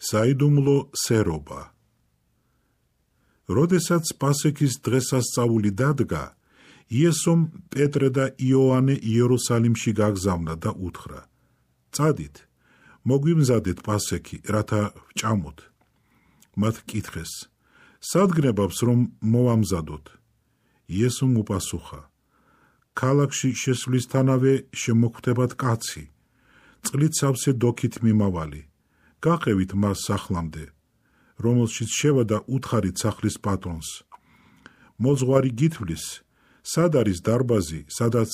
საიდუმლო სერობა. როდესაც პასექის დღესასწაული დადგა, იესომ პეტრე და იოანე იერუსალიმში გაგზავნა და უთხრა: წადით, მოგვიმზადეთ პასექი, რათა ვჭამოთ. მათ კითხეს: სად გნებავს, რომ მოვამზადოთ? იესომ უპასუხა: ქალაქში შესვლისთანავე შემოგხვდებათ კაცი, წყლით სავსე დოქით მიმავალი. გაყევით მას სახლამდე, რომელშიც შევა და უთხარით სახლის პატრონს: მოძღვარი გითვლის, სად არის დარბაზი, სადაც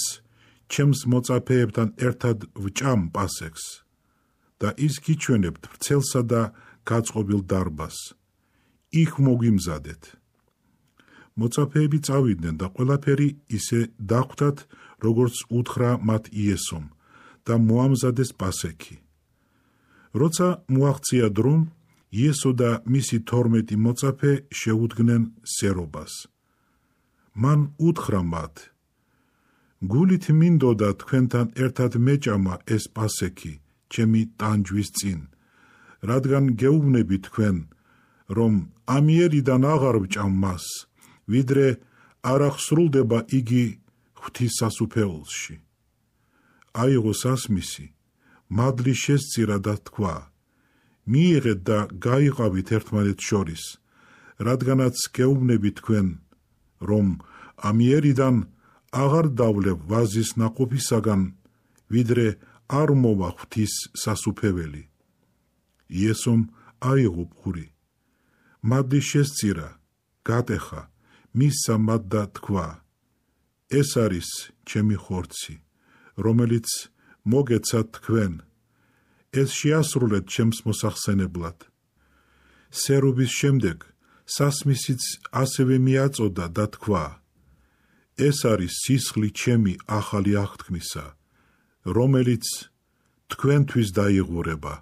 ჩემს მოწაფეებთან ერთად ვჭამ პასექს? და ის გიჩვენებთ ვრცელსა და გაწყობილ დარბაზს. იქ მოგვიმზადეთ. მოწაფეები წავიდნენ და ყველაფერი ისე დახვდათ, როგორც უთხრა მათ იესომ, და მოამზადეს პასექი. როცა მოაღწია დრო, იესო და მისი 12 მოწაფე შეუდგნენ სერობას. მან უთხრა მათ: გულით მინდოდა თქვენთან ერთად მეჭამა ეს პასექი ჩემი ტანჯვის წინ, რადგან გეუბნები თქვენ, რომ ამიერიდან აღარ ვჭამ მას, ვიდრე არ აღსრულდება იგი ღვთის სასუფეველში. აიღო სასმისი, მადლი შესწირა და თქვა: მიიღეთ და გაიყავით ერთმანეთს შორის, რადგანაც გეუბნები თქვენ, რომ ამიერიდან აღარ დავლევ ვაზის ნაყოფისაგან, ვიდრე არ მოვა ღვთის სასუფეველი. იესომ აიღო ფხური, მადლი შესწირა, გატეხა, მისცა მათ და თქვა: ეს არის ჩემი ხორცი, რომელიც მოგეცათ თქვენ, ეს შეასრულეთ ჩემს მოსახსენებლად. სერობის შემდეგ სასმისიც ასევე მიაწოდა და თქვა: ეს არის სისხლი ჩემი ახალი აღთქმისა, რომელიც თქვენთვის დაიღურება.